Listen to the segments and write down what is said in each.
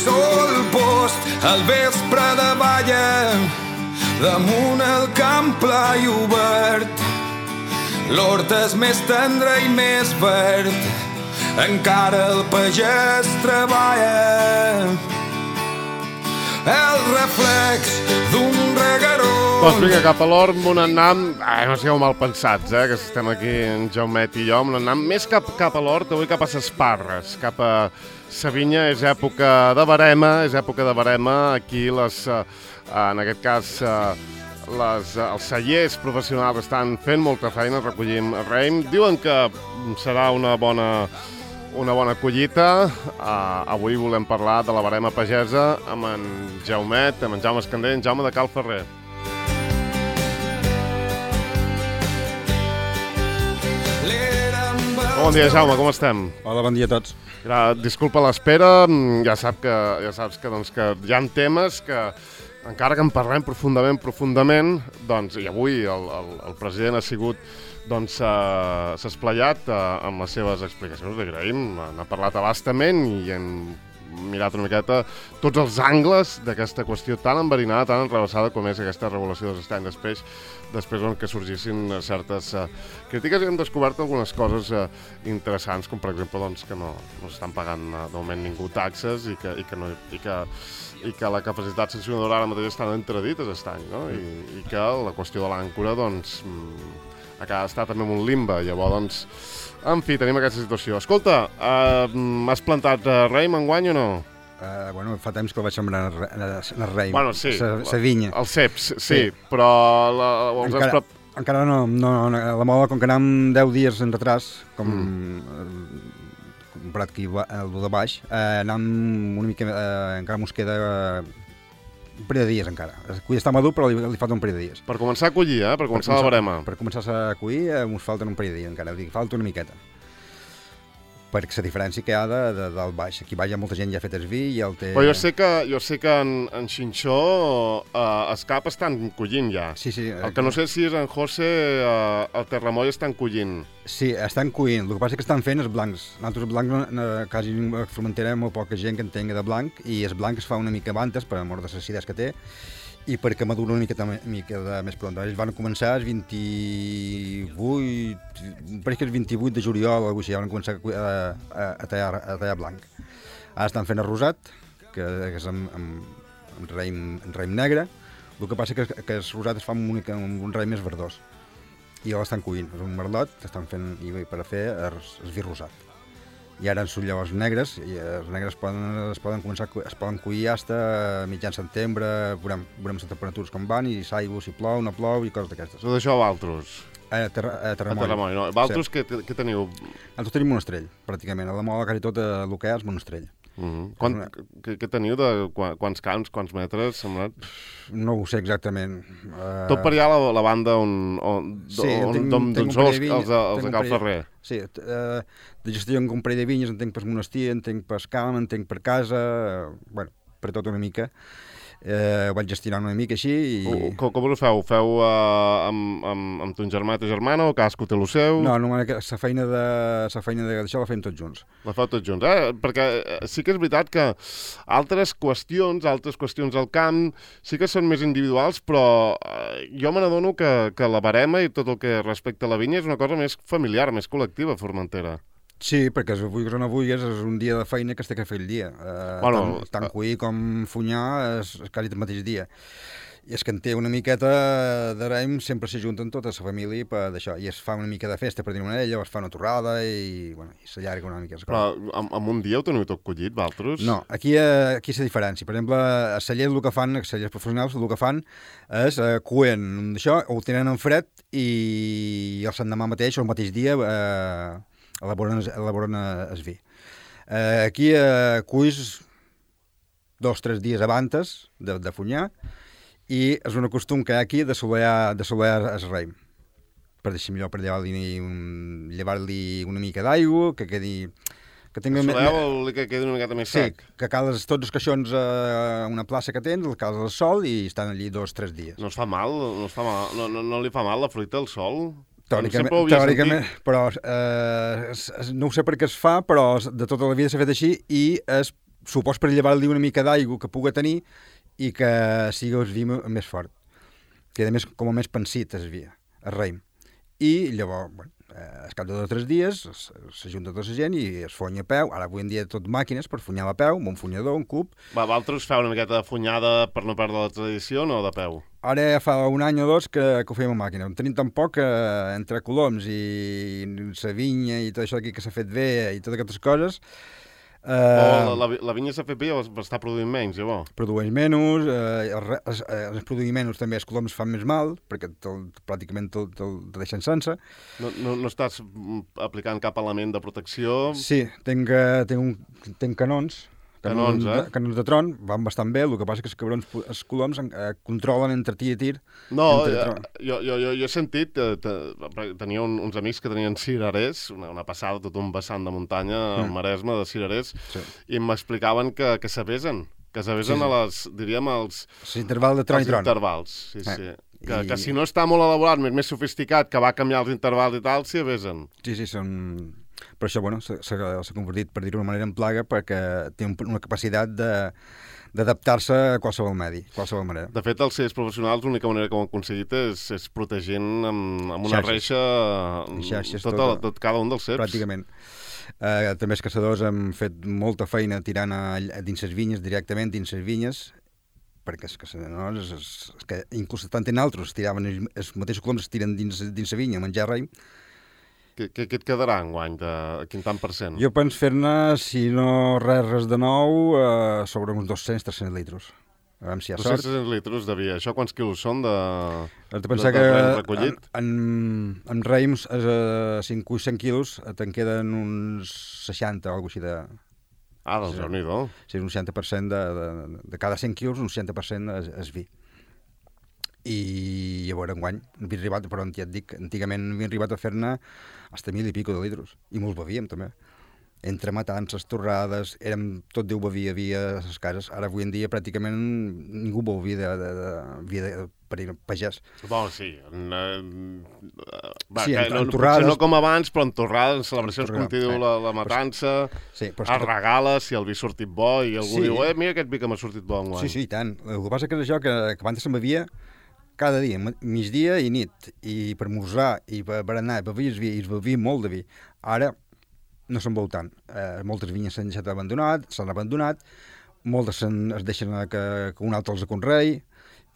sol post al vespre de balla damunt el camp pla i obert. L'hort és més tendre i més verd, encara el pagès treballa. El reflex d'un regueró. Doncs vinga, cap a l'hort, amb un annam... no sigueu mal pensats, que estem aquí, en Jaumet i jo, amb un annam més cap a l'hort, avui cap a ses Parres, cap a sa vinya. És època de verema, aquí en aquest cas... els cellers professionals estan fent molta feina, recollim raïm. Diuen que serà una bona collita. Avui volem parlar de la verema pagesa amb en Jaumet, amb en Jaume Escandell, en Jaume de Cal Ferrer. Bon dia, Jaume, com estem? Hola, bon dia a tots. Disculpa l'espera, ja saps que hi ha temes que encara que en parlem profundament, doncs, i avui el president ha sigut, doncs, s'ha esplayat amb les seves explicacions, li agraïm, n'ha parlat a bastament i hem mirat una miqueta tots els angles d'aquesta qüestió tan enverinada, tan enrevessada com és aquesta regulació dels estanys després que sorgissin certes crítiques, i hem descobert algunes coses interessants, com per exemple doncs, que no s'estan pagant de moment ningú taxes i que la capacitat sancionadora ara mateix està entredit aquest any, no? I que la qüestió de l'àncora doncs, està també en un limbe. Llavors, doncs, en fi, tenim aquesta situació. Escolta, has plantat raïm enguany o no? Bueno, fa temps que el vaig sembrar en raïm. Bueno, sí. La vinya. Els ceps, sí. Però... Encara no. La moda, com que anem 10 dies en retras, comparat que el de baix, anem una mica... encara mos queda un parell de dies encara. El cull està madur, però li falta un parell de dies. Per començar a collir, per començar la verema. Per començar a collir mos falten un parell de dies encara, falta una miqueta. Perquè la diferència que hi ha del baix. Aquí baix hi ha molta gent ja ha fet el vi i el té... Però jo sé que en Xinxó els cap estan collint ja. Sí. El que no sé si és en José, el Terramoll estan collint. Sí, estan collint. El que passa és que estan fent els blancs. Nosaltres els blancs, quasi a Formentera, molt poca gent que entenga de blanc, i el blanc es fa una mica abantes, per amor de les acidesa que té, i perquè madura una mica més pront. Ells van començar el 28, pareix que el 28 de juliol, ja van començar a tallar blanc. Ara estan fent el rosat, que és amb raïm negre. El que passa és que el rosat es fa amb un raïm més verdós. I l'estan cuint, és un merlot, estan fent per a fer el vi rosat. I ara en són llavors negres, i els negres es poden collir fins a mitjan setembre, veurem les temperatures com van, i s'aigua, si plou, no plou, i coses d'aquestes. Tot això a Valtros? A Terramoll. No? Valtros, sí. Què teniu? Nosaltres tenim monestrell, pràcticament. A la moda quasi tot el que és monestrell. Què teniu de quants camps, quants metres, semblat? No ho sé exactament. Tot per allà la banda on sou els de Cal Ferrer. Sí, de gestió en un parell de vinyes, en tenc per monestir, en tenc per camp, en tenc per casa, per tot una mica. Ho vaig gestionar una mica així. Com ho feu? Feu amb ton germà i ta germana o cadascú té el seu? No, la feina d'això la fem tots junts. La feu tots junts, Perquè sí que és veritat que altres qüestions al camp sí que són més individuals, però jo me n'adono que la verema i tot el que respecta a la vinya és una cosa més familiar, més col·lectiva a Formentera. Sí, perquè vulguis o no vulguis, és un dia de feina que es té que fer el dia. Tant cuir com funyar és quasi el mateix dia. I és que en té una miqueta de raïm, sempre s'ajunten tota la família per d'això. I es fa una mica de festa per dir una d'ella, es fa una torrada i s'allarga una mica. Però en un dia ho teniu tot collit, Valtros? No, aquí és la diferència. Per exemple, a cellers el que fan, a cellers professionals, el que fan és cuen d'això, ho tenen en fred i el l'endemà mateix o el mateix dia elaboren el vi. Aquí cuis 2 o 3 dies abans de funyar, i és un costum que hi ha aquí de solear el raïm. Per deixar millor, per llevar-li una mica d'aigua, que quedi... Soleu que quedi una miqueta més sec. Sí, que cales tots els caixons a una plaça que tens, el cales al sol i estan allí 2 o 3 dies. No es fa mal? No li fa mal la fruita al sol? Teòricament, però no ho sé per què es fa, però de tota la vida s'ha fet així, i és supos per llevar-li una mica d'aigua que pugui tenir i que sigui el vi més fort. Que a més, com a més pensit es via, el raïm. I llavors, bueno, al cap de 2 o 3 dies s'ajunta tota la gent i es fonya a peu. Ara avui en dia tot màquines per funyar a peu, amb un funyador, un cub. Vosaltres feu una miqueta de funyada per no perdre la tradició, no, de peu? Ara ja fa 1 any o 2 que ho fèiem a màquina. Tenim tan poc que entre coloms i la vinya i tot això aquí que s'ha fet bé i totes aquestes coses... La vinya s'ha fet bé o està produint menys, llavors? Produeix menys, els produir menys també els coloms fan més mal, perquè pràcticament te deixen sense. No estàs aplicant cap element de protecció? Sí, tinc canons de tron, van bastant bé, el que passa que els coloms controlen entre tir i tir. No, jo he sentit, tenia uns amics que tenien cirerers, una passada, tot un vessant de muntanya al Maresme de cirerers, i m'explicaven que s'avesen, a les, diríem, als intervals de tron i tron. Intervals, sí. Que si no està molt elaborat, més sofisticat, que va canviar els intervals i tal, s'hi avesen. Sí, són... Per això, bueno, s'ha convertit, per dir-ho d'una manera, en plaga, perquè té una capacitat d'adaptar-se a qualsevol medi, qualsevol manera. De fet, els CEs professionals, l'única manera que ho han aconseguit és protegint amb una reixa tot cada un dels ceps. Pràcticament. També els caçadors han fet molta feina tirant dins les vinyes, directament dins les vinyes, perquè els caçadors, que inclús tant en altres, els mateixos coloms es tiren dins la vinya a menjar raïm. Què et quedarà enguany? Quin tant % Jo penso fer-ne, si no res de nou, sobre uns 200-300 litres. A veure si hi ha sort. 200 litres de vi. Això quants quilos són de raïm recollit? En raïms, 500 quilos, te'n queden uns 60 o alguna cosa així de... Doncs déu-n'hi-do. Sí, un 60% de cada 100 quilos, un 60% és vi. I a veure, enguany, havia arribat, però ja et dic, antigament havia arribat a fer-ne fins a 1.000 i pico de litres, i molts bevíem també. Entre matances, torrades, tot Déu bevia a les cases. Ara, avui en dia, pràcticament ningú beu vi per ir a pagès. Bon, sí. En torrades... No com abans, però en torrades, en celebracions, com t'hi diu la matança, es regala si el vi ha sortit bo, i algú diu, mira aquest vi que m'ha sortit bo enguany. Sí, i tant. El que passa que és això, que abans se'n bevia cada dia, migdia i nit, i per esmorzar, i per berenar, bevies vi, i es bevia molt de vi. Ara no se'n veu tant. Moltes vinyes s'han deixat s'han abandonat, moltes es deixen que un altre els conrei,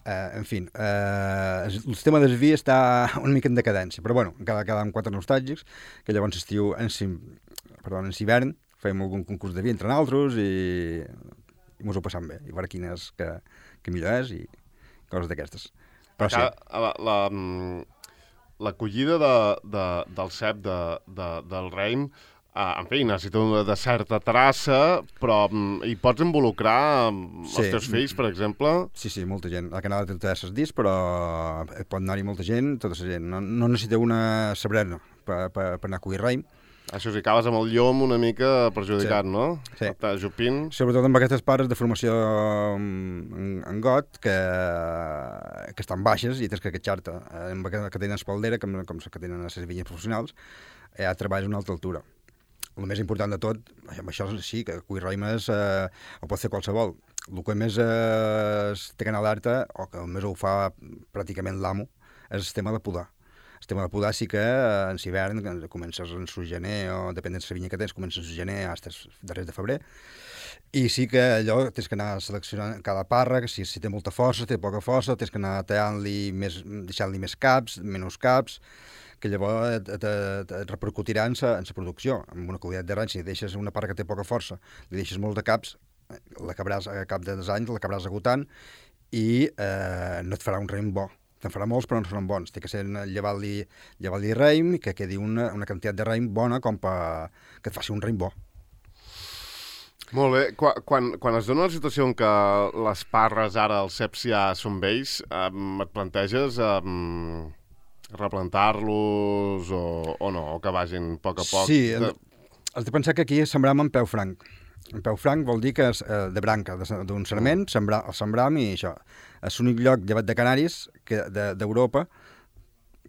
en fi, el tema del vi està una mica en decadència, però bueno, encara amb 4 nostàlgics, que llavors en hivern fèiem algun concurs de vi entre nosaltres i mos ho passam bé, i veure quin és que millor és i coses d'aquestes. Però sí. La collida del cep del raïm, en fi, necessita una certa traça, però hi pots involucrar els teus fills, per exemple? Sí, molta gent. La canal té els discs, però pot anar-hi molta gent, tota la gent. No necessita una sabrera per anar a collir raïm. Això sí, acabes amb el llom una mica perjudicat, no? Sí. Jupint. Sobretot amb aquestes pares de formació en got, que estan baixes i tens que queixar-te. Amb que tenen espaldera, com que tenen a les vinyes professionals, ja treballes a una alta altura. El més important de tot, amb això sí, que cuir raïm ho pot fer qualsevol. El que més té que anar alerta, o que més ho fa pràcticament l'amo, és el tema de podar. El tema de podar sí que en hivern comences en gener, o depèn de la vinya que tens, comences en gener fins darrers de febrer, i sí que allò tens que anar seleccionant cada parra, que si té molta força, té poca força, tens que anar tallant-li deixant-li més caps, menys caps, que llavors et repercutirà en la producció. Amb una qualitat de rany, si deixes una parra que té poca força, li deixes molt de caps, a cap de 2 anys l'acabaràs agotant i no et farà un raïm bo. Te'n farà molts, però no seran bons. Té que ser llevar-li raïm i que quedi una quantitat de raïm bona com que et faci un raïm bo. Molt bé. Quan es dona la situació en què les parres ara, els ceps ja són vells, et planteges replantar-los o no? O que vagin a poc a poc? Sí, has de pensar que aquí sembràvem en peu franc. En peu franc vol dir que és de branca, d'un sarment, el sembram i això. És l'únic lloc, llevat de Canaris, d'Europa,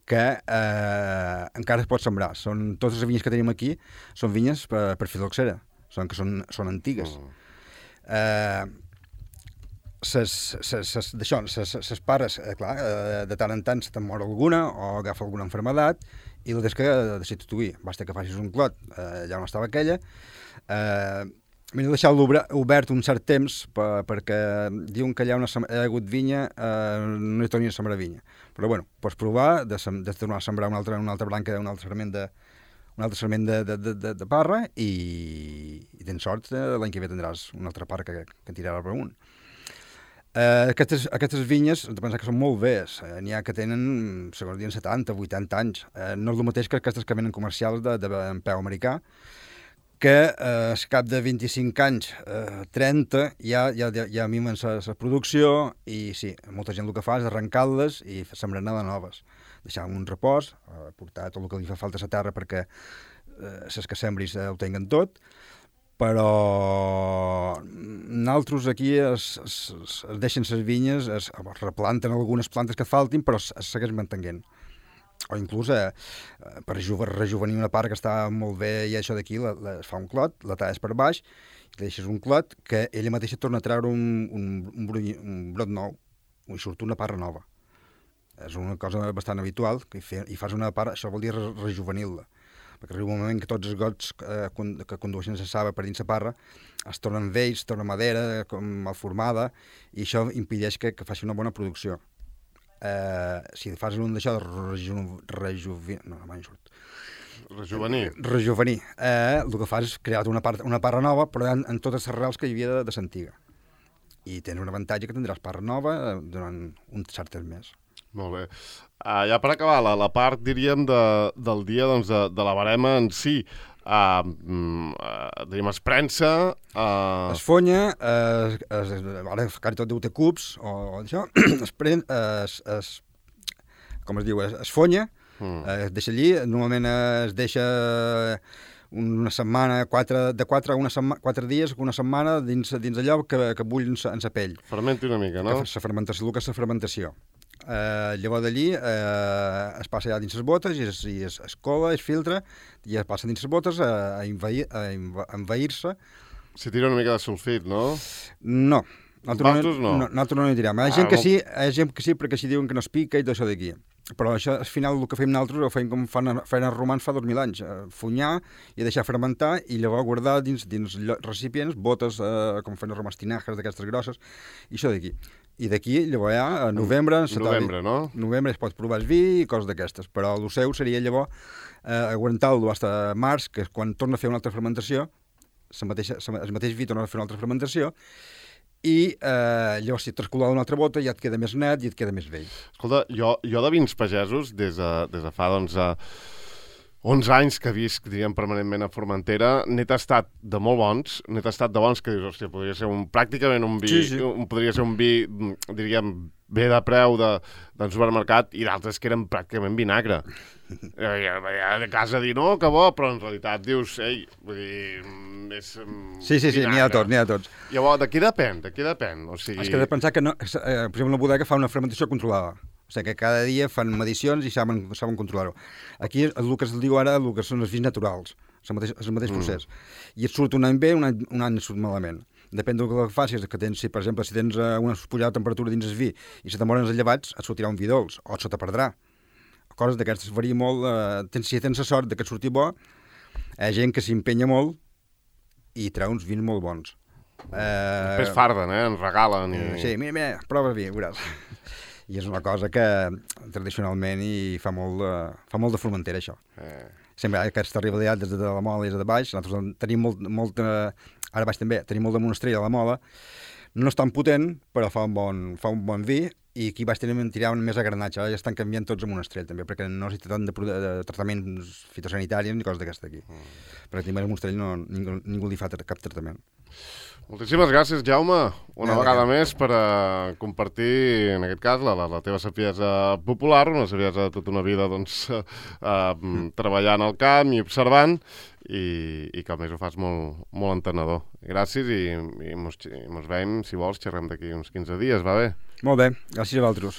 que encara es pot sembrar. Totes les vinyes que tenim aquí són vinyes per filoxera, que són antigues. ses pares, clar, de tant en tant se te'n mor alguna o agafa alguna malaltia i la tens que substituir. Basta que facis un clot, ja on estava aquella. M'he deixat obert un cert temps perquè diuen que allà on ha hagut vinya no hi torni a sembrar vinya. Però bueno, pots provar de tornar a sembrar una altra branca, un altre sarment de parra i tens sort, l'any que ve tindràs una altra parra que tirarà per amunt. Aquestes vinyes, hem de pensar que són molt velles. N'hi ha que tenen, segons diuen, 70, 80 anys. No és el mateix que aquestes que venen comercials en peu americà, que al cap de 25 anys, 30, ja mimen la producció i sí, molta gent el que fa és arrencar-les i sembrar-ne de noves. Deixar un repòs, portar tot el que li fa falta a la terra perquè les que sembris ho tinguen tot, però nosaltres aquí es deixen les vinyes, es replanten algunes plantes que faltin, però es segueix mantenint. O inclús per rejuvenir una part que està molt bé i això d'aquí, es fa un clot, la talles per baix, i deixes un clot que ella mateixa torna a treure un brot nou, i surt una parra nova. És una cosa bastant habitual, i fas una parra, això vol dir rejuvenir-la, perquè arriba un moment que tots els gots que condueixen la saba per dins la parra es tornen vells, torna madera, mal formada, i això impedeix que faci una bona producció. Si fas un d'això de rejuvenir, el que fas és crear una parra nova, però en totes les arrels que hi havia de l'antiga. I tens un avantatge que tindràs parra nova durant un cert temps més. Molt bé. Ja per acabar, la part, diríem, del dia de la barema en si, diríem, es prensa... Es fonya, ara quasi tot deu ter cubs, o això, com es diu, es fonya, es deixa allí, normalment es deixa una setmana, de 4 dies, una setmana, dins allò que bull en la pell. Fermenti una mica, no? La fermentació, el que és la fermentació. Llavors d'allí es passa ja dins les botes i es cola, es filtra i es passa dins les botes a envair-se. Si tira una mica de sulfit, no? No. Nosaltres no. Nosaltres no hi tirem. Hi ha gent que sí, perquè així diuen que no es pica i tot això d'aquí. Però això, al final, el que fem nosaltres ho fem com feien els romans fa 2.000 anys. Funyar i deixar fermentar i llavors guardar dins recipients, botes, com feien els romans, tinajes d'aquestes grosses, i això d'aquí. I d'aquí, llavors ja, a novembre... Novembre, no? Novembre es pot provar el vi i coses d'aquestes, però el seu seria llavors aguantar-lo fins a març, que és quan torna a fer una altra fermentació, el mateix vi torna a fer una altra fermentació, i llavors si trascolar una altra bota ja et queda més net i et queda més vell. Escolta, jo de vins pagesos, des de fa, 11 anys que visc, diríem, permanentment a Formentera, n'he tastat de molt bons, n'he tastat de bons que dius, hòstia, podria ser pràcticament un vi, sí. Podria ser un vi, diríem, bé de preu del supermercat, i d'altres que eren pràcticament vinagre. De casa dir, no, que bo, però en realitat dius, ei, vull dir, és Sí, n'hi ha tots. Llavors, de què depèn? O sigui... És que he de pensar que, no, per exemple, una bodega fa una fermentació controlada. O sigui que cada dia fan medicions i saben controlar-ho. Aquí el que es diu ara, el que són els vins naturals, el mateix procés. I et surt un any bé, un any et surt malament. Depèn del que facis, que tens, per exemple, si tens una pujada de temperatura dins el vi i se t'amoren els llevats, et sortirà un vi dolç, o se te perdrà. Coses d'aquestes varia molt. Si tens la sort que et surti bo, hi ha gent que s'empenya molt i treu uns vins molt bons. Després farden, ens regalen. Sí, mira, prova vi, veuràs. I és una cosa que tradicionalment fa molt de Formentera, això. Sempre hi ha aquesta rivalitat des de la Mola i des de baix. Nosaltres tenim molt ara baix també, tenim molt de monestrell a la Mola. No és tan potent, però fa un bon vi, i aquí baix tiraven més a granatge. Ara ja estan canviant tots a monestrell, també, perquè no necessita tant de tractaments fitosanitaris ni coses d'aquesta aquí. Perquè també el monestrell ningú li fa cap tractament. Moltíssimes gràcies, Jaume, una vegada més per compartir, en aquest cas, la teva saviesa popular, una saviesa de tota una vida treballant al camp i observant, i que a més ho fas molt entenedor. Gràcies i mos veiem, si vols, xerrem d'aquí uns 15 dies, va bé? Molt bé, gràcies a vosaltres.